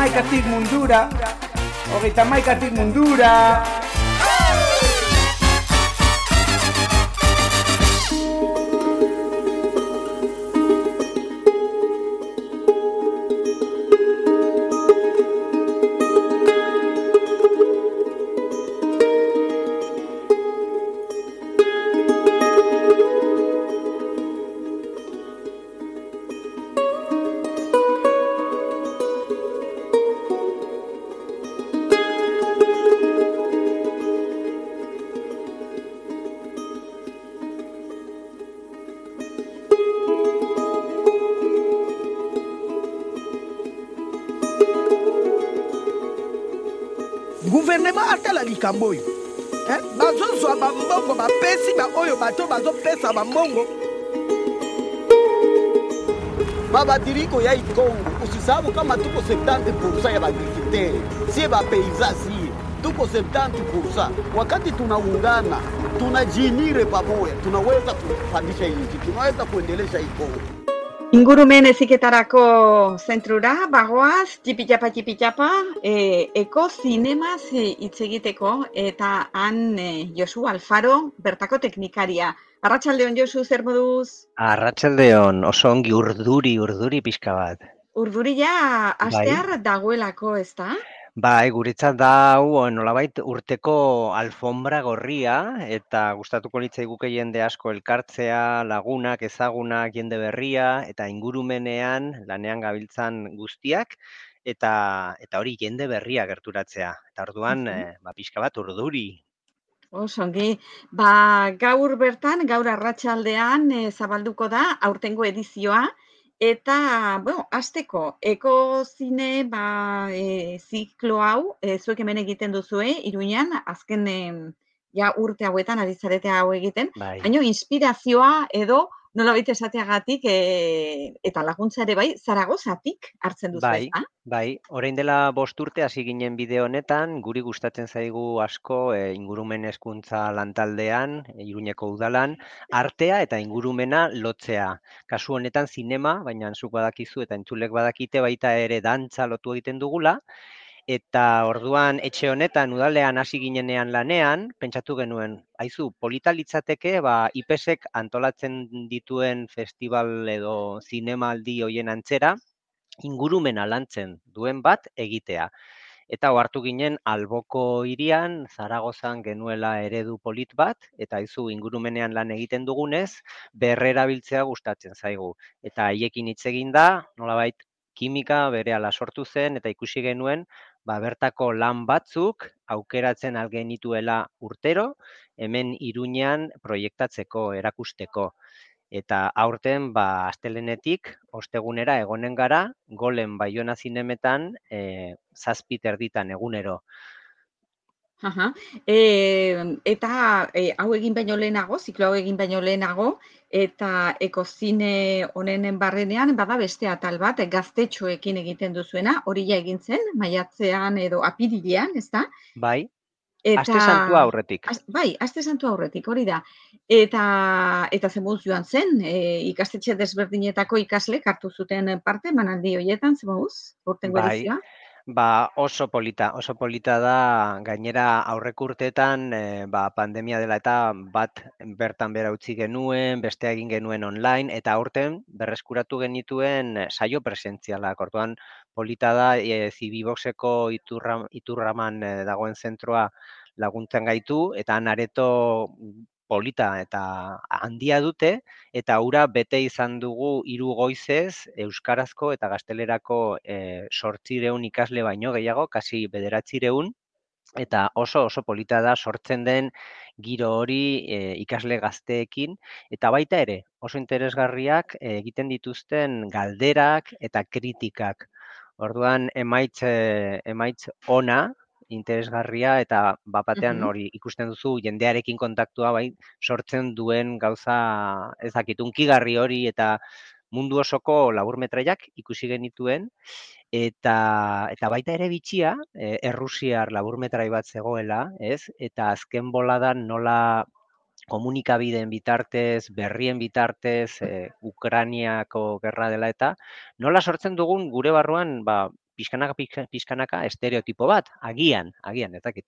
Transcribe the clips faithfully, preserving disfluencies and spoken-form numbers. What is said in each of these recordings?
hamaikatik mundura, hogeita hamaikatik mundura. Gouvernement atala likambo oyo eh? Bazozwa bambongo bapesi ba oyo bato bazopesa bambongo babadiriko ya Kongo. Usisahau kama tuko setenta pursa ya bagriculteur, sie bapeiza sie tuko setenta pursa. Wakati tunaungana tunajinire pamoja, tunaweza kupandisha nchi, tunaweza kuendelesha hii Kongo. Ingurumen heziketarako zentrura bagoaz, tipitapa tipitapa, e, eko zinemaz hitz egiteko, eta han e, Josu Alfaro, bertako teknikaria. Arratsaldeon Josu, zer moduz? Arratsaldeon, oso ongi urduri, urduri pixka bat. Urduri ja astear dagoelako, ez da? Bai, guretzat da hau nolabait urteko alfombra gorria, eta gustatuko litzaiguke jende asko elkartzea, lagunak, ezagunak, jende berria, eta ingurumenean lanean gabiltzan guztiak, eta eta hori jende berria gerturatzea. Eta orduan, uh-huh. eh, ba, pixka bat urduri. Osongi, ba, gaur bertan, gaur arratsaldean e, zabalduko da aurtengo edizioa, eta, bueno, azteko, ekozine, ba, e, ziklo hau, e, zuek hemen egiten duzue, Iruñan, azken e, ja urte hauetan ari zarete hau egiten, bai. Baina inspirazioa edo nolabait esateagatik e, eta laguntza ere bai, Zaragozatik hartzen duzu, bai, ez da? Bai, orain dela bost urte hasi ginen bideo honetan, guri gustatzen zaigu asko e, ingurumen hezkuntza lantaldean, e, Iruñeko udalan, artea eta ingurumena lotzea. Kasu honetan zinema, baina zuk badakizu eta entzulek badakite baita ere dantza lotu egiten dugula, eta orduan etxe honetan udalean hasi ginenean lanean, pentsatu genuen, aizu, polita litzateke, ba, I P E S ek antolatzen dituen festival edo zinemaldi hoien antzera, ingurumena lantzen duen bat egitea. Eta ohartu ginen Alboko hirian, Zaragozan genuela eredu polit bat, eta aizu ingurumenean lan egiten dugunez, berrerabiltzea gustatzen zaigu. Eta haiekin hitz egin da, nolabait kimika berehala sortu zen, eta ikusi genuen, ba, bertako lan batzuk aukeratzen algenituela urtero, hemen Iruñean proiektatzeko, erakusteko. Eta aurten, ba, astelenetik, ostegunera egonen gara, Golen Baiona zinemetan, e, zazpi terditan egunero. Aha. E, eta e, hau egin baino lehenago, ziklo hau egin baino lehenago, eta ekozine honenen barrenean, bada beste atal bat, gaztetxoekin egiten duzuena, hori ja egin zen, maiatzean edo apirilean, ez da? Bai, eta, aste santua aurretik. Az, bai, aste santua aurretik, hori da. Eta, eta zemuz joan zen, e, ikastetxe desberdinetako ikaslek hartu zuten parte, manaldi horietan, zemuz, urtengo Bai. edizioa? Ba, oso polita, oso polita da, gainera aurrek urteetan, e, ba, pandemia dela eta bat bertan bera utzi genuen, bestea egin genuen online, eta aurten berreskuratu genituen saio presentzialak. Orduan polita da, e, Zibiboxeko iturra, iturraman e, dagoen zentroa laguntzen gaitu, eta han areto polita eta handia dute, eta hura bete izan dugu hiru goizez euskarazko eta gaztelerako e, sortzireun ikasle baino gehiago, kasi bederatzireun, eta oso oso polita da sortzen den giro hori e, ikasle gazteekin, eta baita ere oso interesgarriak e, egiten dituzten galderak eta kritikak. Orduan emaitz, e, emaitz ona, interesgarria, eta bapatean hori ikusten duzu jendearekin kontaktua bai sortzen duen gauza ezakit unkigarri hori, eta mundu osoko laburmetraiak ikusi genituen, eta eta baita ere bitxia, e, errusiar laburmetrai bat zegoela, ez? Eta azken boladan nola komunikabideen bitartez, berrien bitartez, e, Ukrainiako gerra dela eta, nola sortzen dugun gure barruan, ba, pixkanaka, pixkanaka, estereotipo bat, agian, agian, ez dakit.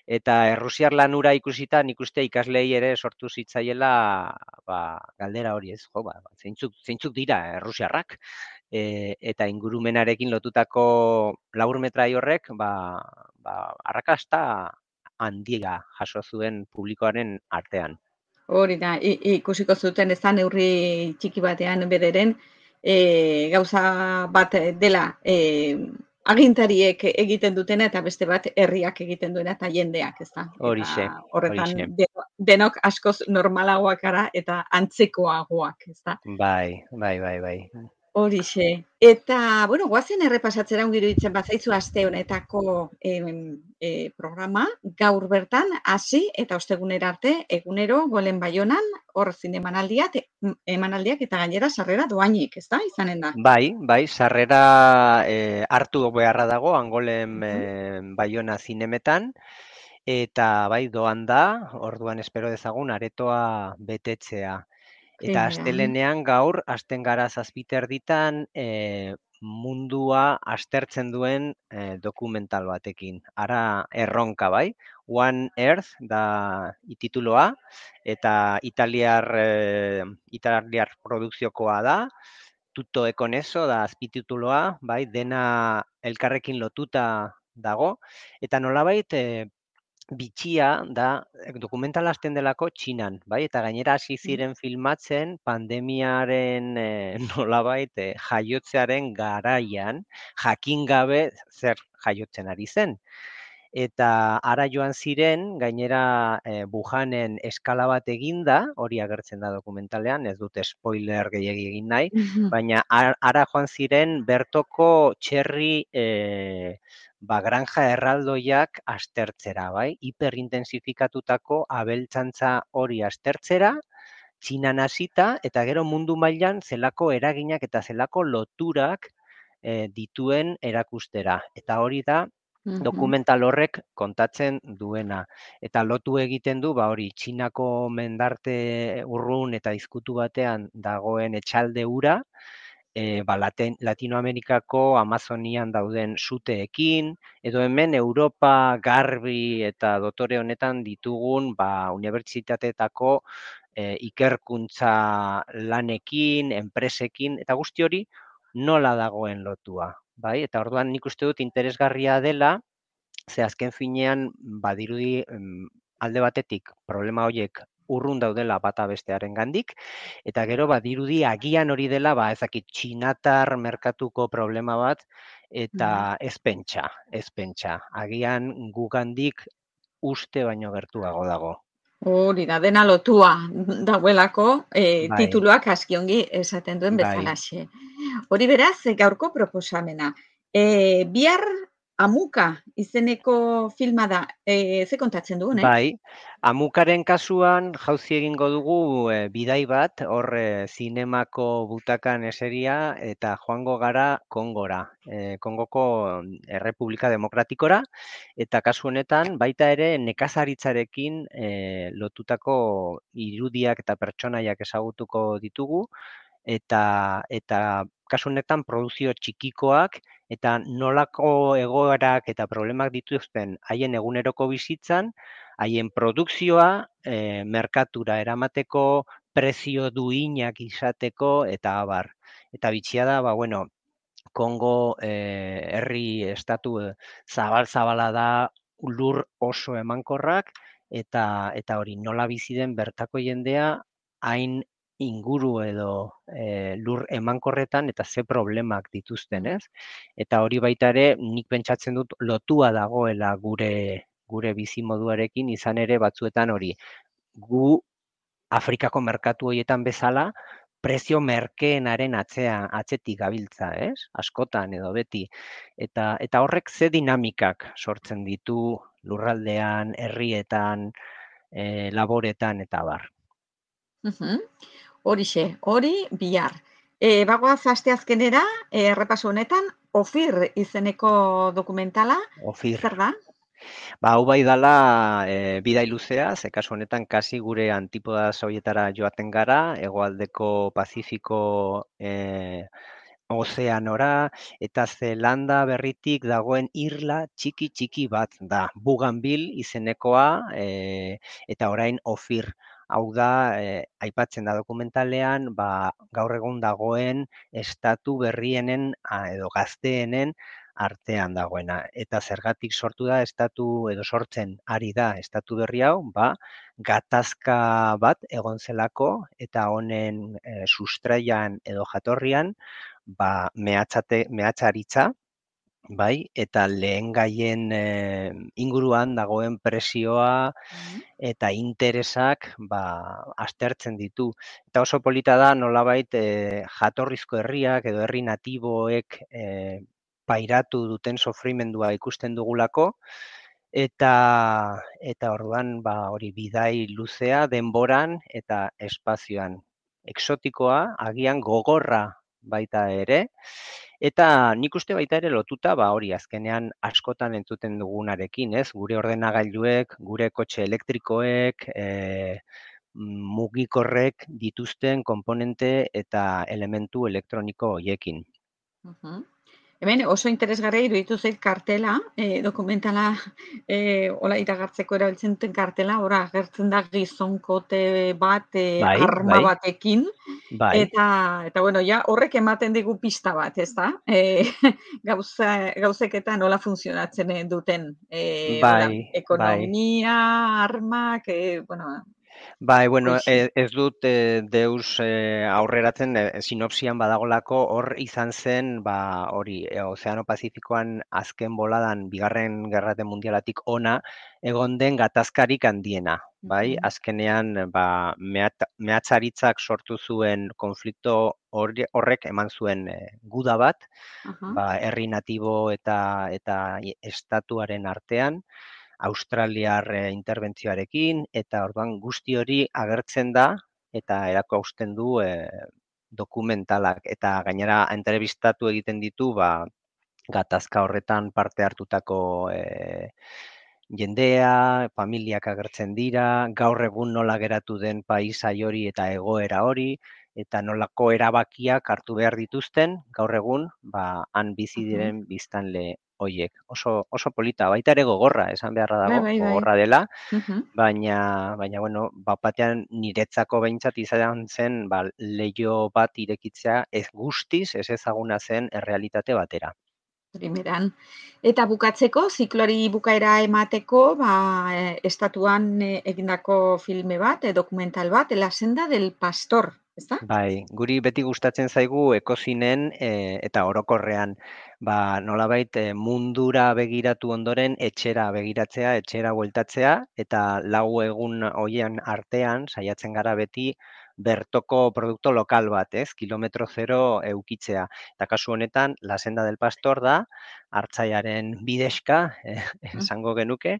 Eta errusiar lanura ikusita, nik uste ikaslei ere sortu zitzaiela ba, galdera hori ez, jo, ba, zeintzuk, zeintzuk dira errusiarrak. E, eta ingurumenarekin lotutako laburmetrai horrek, ba, ba, arrakasta handia jaso zuen publikoaren artean. Hori da, ikusiko zuten ez da neurri txiki batean bederen, e, gauza bat dela e, agintariek egiten dutena eta beste bat herriak egiten duena eta jendeak, ez da? Horixe, horretan horixe. denok askoz normalagoak gara eta antzekoagoak, ez da? Bai, bai, bai, bai. Horixe. Eta, bueno, guazen errepasatzera ongiru ditzen bazaizu aste honetako e, e, programa, gaur bertan, hasi eta ostegunera arte, egunero, golen Baionan, hor zinemanaldiak, emanaldiak eta gainera sarrera doainik, ez da, izanen da? Bai, bai, sarrera e, hartu beharra dago, angolen e, Baiona zinemetan, eta bai, doan da, orduan espero dezagun, aretoa betetzea. Eta astelenean gaur, hasten gara zazpiterditan, e, mundua aztertzen duen e, dokumental batekin. Ara erronka, bai? One Earth da itituloa, eta italiar, e, italiar produkziokoa da, Tutto e con eso da azpitituloa, bai? Dena elkarrekin lotuta dago, eta nolabait, e, bitxia da, dokumentala hasten delako Txinan, bai? Eta gainera hasi ziren filmatzen pandemiaren e, nolabait e, jaiotzearen garaian, jakin gabe zer jaiotzen ari zen. Eta ara joan ziren, gainera e, Wuhanen eskala bat eginda, hori agertzen da dokumentalean, ez dute spoiler gehiegi egin nahi, baina ara joan ziren bertoko txerri e, ba, granja erraldoiak aztertzera, bai? Hiperintensifikatutako abeltzantza hori aztertzera, Txinan hasita, eta gero mundu mailan zelako eraginak eta zelako loturak e, dituen erakustera. Eta hori da, dokumental horrek kontatzen duena. Eta lotu egiten du, ba hori, Txinako mendarte urrun eta izkutu batean dagoen etxalde ura, e, ba, Laten, Latinoamerikako Amazonian dauden suteekin, edo hemen Europa garbi eta dotore honetan ditugun ba, unibertsitateetako e, ikerkuntza lanekin, enpresekin, eta guzti hori nola dagoen lotua. Bai? Eta orduan nik uste dut interesgarria dela, ze azken finean badirudi alde batetik problema horiek urrun daudela bata bestearen gandik, eta gero badirudi agian hori dela, ba, ezakit, txinatar merkatuko problema bat, eta ez pentsa, ez pentsa. Agian gugandik uste baino gertuago dago. Hori da, dena lotua dauelako, e, bai. Tituluak askiongi esaten duen bezalaxe. Bai. Hori beraz, gaurko proposamena. E, bihar Amuka izeneko filma da, e, ze kontatzen duen, eh? Bai, Amukaren kasuan jauzi egingo dugu e, bidai bat, hor e, zinemako butakan eseria eta joango gara Kongora, e, Kongoko Errepublika Demokratikora, eta kasu honetan baita ere nekazaritzarekin e, lotutako irudiak eta pertsonaiak ezagutuko ditugu, eta eta kasu honetan produzio txikikoak eta nolako egoerak eta problemak dituzten haien eguneroko bizitzan, haien produkzioa e, merkatura eramateko, prezio duinak izateko eta abar. Eta bitxia da, ba, bueno, Kongo e, herri estatu zabal-zabala da, lur oso emankorrak, eta eta hori nola bizi den bertako jendea hain inguru edo e, lur emankorretan eta ze problemak dituzten, ez? Eta hori baita ere nik pentsatzen dut lotua dagoela gure gure bizimoduarekin, izan ere batzuetan hori gu Afrikako merkatu horietan bezala prezio merkeenaren atzean atzetik gabiltza, ez? Askotan edo beti. Eta eta horrek ze dinamikak sortzen ditu lurraldean, herrietan, e, laboretan eta bar. Uh-huh. Horixe, hori bihar. E, bagoaz asteazkenera, errepaso honetan, Ofir izeneko dokumentala. Ofir. Zer da? Ba, hau bai dala e, bidai luzea, ze kasu honetan kasi gure antipoda sovietara joaten gara, hegoaldeko Pazifiko e, ozeanora, eta Zelanda berritik dagoen irla txiki txiki bat da. Bougainville izenekoa, e, eta orain Ofir. Hau da, e, aipatzen da dokumentalean, ba, gaur egun dagoen estatu berrienen a, edo gazteenen artean dagoena. Eta zergatik sortu da estatu edo sortzen ari da estatu berri hau, ba, gatazka bat egon zelako eta honen e, sustraian edo jatorrian, ba, mehatzate, mehatzaritza, bai, eta lehen gaien e, inguruan dagoen presioa Mhm. eta interesak ba, aztertzen ditu. Eta oso polita da nolabait e, jatorrizko herriak edo herri natiboek e, pairatu duten sofrimendua ikusten dugulako, eta eta orduan ba hori bidai luzea denboran eta espazioan. Exotikoa, agian gogorra baita ere, eta nik uste baita ere lotuta ba hori azkenean askotan entzuten dugunarekin, ez? Gure ordenagailuek, gure kotxe elektrikoek, e, mugikorrek dituzten konponente eta elementu elektroniko hoiekin. Mhm. Hemen oso interesgarria iruditu zait kartela, e, dokumentala e, hola iragartzeko erabiltzen duten kartela, ora agertzen da gizonkote bat e, Bai, arma bai, batekin, bai, eta, eta bueno, ja horrek ematen digu pista bat, ez da? E, gauza, gauzeketan nola funtzionatzen duten, e, hola, bai, bai. ekonomia, armak, e, bueno, Bai, bueno, hoixe. e, ez dut e, deus e, aurreratzen e, sinopsian badagolako hor izan zen, ba, hori, e, Ozeano Pazifikoan azken boladan bigarren gerrate mundialatik ona egon den gatazkarik handiena, bai? Mhm. Azkenean, ba, mehat, mehatzaritzak sortu zuen konflikto horri- horrek eman zuen e, guda bat, Aha. ba, herri natibo eta eta estatuaren artean, australiar eh, interbentzioarekin, eta orduan guzti hori agertzen da eta erakusten du eh, dokumentalak. Eta gainera entrevistatu egiten ditu ba, gatazka horretan parte hartutako eh, jendea, familiak agertzen dira, gaur egun nola geratu den paisai hori eta egoera hori, eta nolako erabakiak hartu behar dituzten, gaur egun, ba, han bizi Mhm. diren biztanle hoiek. Oso, oso polita, baita ere gogorra, esan beharra Bai, dago, bai, bai. gogorra dela, Mhm. baina, baina bueno, bat batean niretzako behintzat izan zen, ba, leiho bat irekitzea ez guztiz, ez ezaguna zen errealitate batera. Primeran. Eta bukatzeko, zikloari bukaera emateko, ba, e, estatuan e, egindako filme bat, e, dokumental bat, La senda del pastor, ezta? Bai, guri beti gustatzen zaigu ekozinen e, eta orokorrean, ba, nolabait e, mundura begiratu ondoren etxera begiratzea, etxera bueltatzea, eta lau egun hoien artean saiatzen gara beti bertoko produkto lokal bat, ez? Kilometro zero eukitzea. Eta kasu honetan, La senda del pastor da, hartzaiaren bidexka, eh, Mm. esango genuke,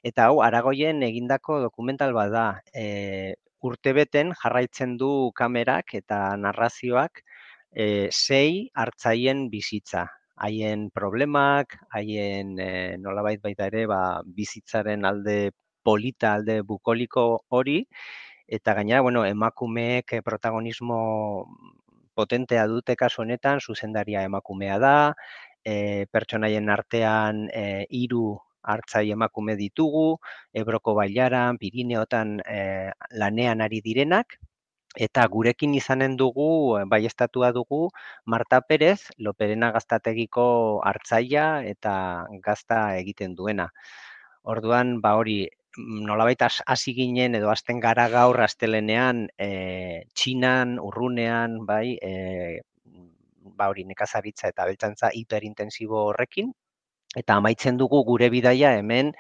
eta hau Aragoien egindako dokumental bat da. E, urtebeten jarraitzen du kamerak eta narrazioak e, sei hartzaien bizitza. Haien problemak, haien e, nolabait baita ere ba, bizitzaren alde polita, alde bukoliko hori, eta gainera, bueno, emakumeek eh, protagonismo potentea dute kasu honetan, zuzendaria emakumea da, e, pertsonaien artean e, hiru hartzai emakume ditugu, Ebroko bailaran, Pirineotan e, lanean ari direnak, eta gurekin izanen dugu, baieztatua dugu, Marta Perez, Loperena gaztategiko hartzaia eta gazta egiten duena. Orduan, ba hori, nolabait hasi ginen edo hasten gara gaur astelenean e, Txinan, urrunean, bai, e, ba hori nekazaritza eta abeltzantza hiperintensibo horrekin, eta amaitzen dugu gure bidaia hemen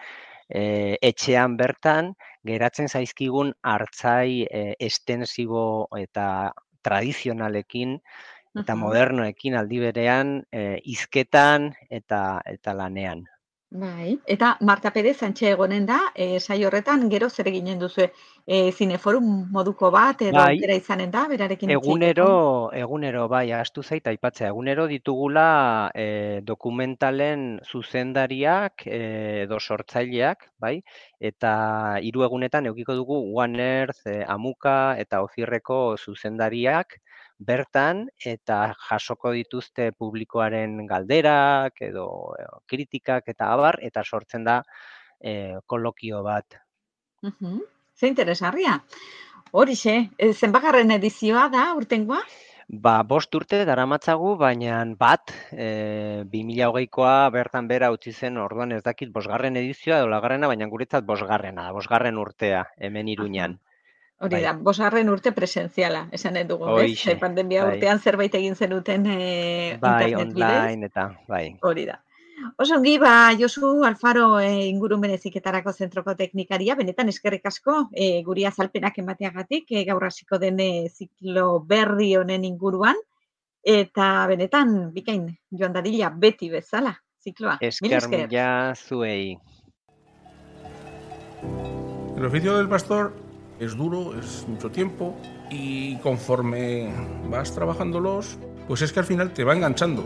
e, etxean bertan geratzen zaizkigun hartzai e, estensibo eta tradizionalekin eta Mhm. modernoekin aldi berean e, hizketan eta eta lanean. Bai. Eta Marta Perez antxe egonen da, e, saio horretan, gero zer eginen duzu e, zineforum moduko bat, edo Bai, aukera izanen da, berarekin hitz egunero, egiteko? egunero, bai, ahaztu zait aipatzea, egunero ditugula e, dokumentalen zuzendariak e, edo sortzaileak, bai, eta hiru egunetan edukiko dugu One Earth, e, Amuka eta Ozirreko zuzendariak, bertan eta jasoko dituzte publikoaren galderak edo kritikak eta abar, eta sortzen da e, kolokio bat. Uh-huh. Ze interesgarria. Horixe, zenbagarren edizioa da urtengoa? Ba, bost urte daramatzagu, baina bat, e, bi mila hogeikoa bertan bera utzi zen, orduan ez dakit bosgarren edizioa edo lagarrena, baina guretzat bosgarrena, bosgarren urtea, hemen Iruñan. Hori da, bai. Bosgarren urte presentziala, esan dugu, ez? Pandemia bai. urtean zerbait egin zenuten e, bai, internet bidez. Online eta, bai. Hori da. Oso ongi, ba, Josu Alfaro e, ingurumen heziketarako zentroko teknikaria, benetan eskerrik asko e, guri azalpenak emateagatik, e, gaur hasiko den e, ziklo berri honen inguruan, eta benetan, bikain, joan dadila, beti bezala, zikloa. Esker mila zuei. El oficio del pastor es duro, es mucho tiempo, y conforme vas trabajándolos, pues es que al final te va enganchando.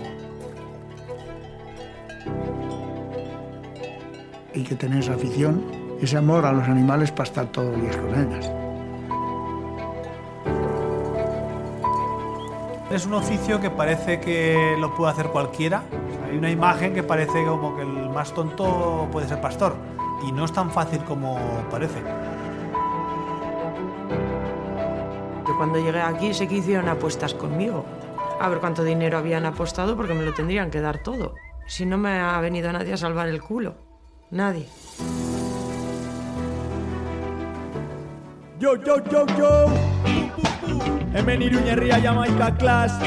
Hay que tener esa afición, ese amor a los animales para estar todos los días con ellas. Es un oficio que parece que lo puede hacer cualquiera. Hay una imagen que parece como que el más tonto puede ser pastor, y no es tan fácil como parece. Yo cuando llegué aquí sé que hicieron apuestas conmigo. A ver cuánto dinero habían apostado, porque me lo tendrían que dar todo. Si no me ha venido nadie a salvar el culo. Nadie. Yo, yo, yo, yo. Hemen Iruñerria Jamaika Class.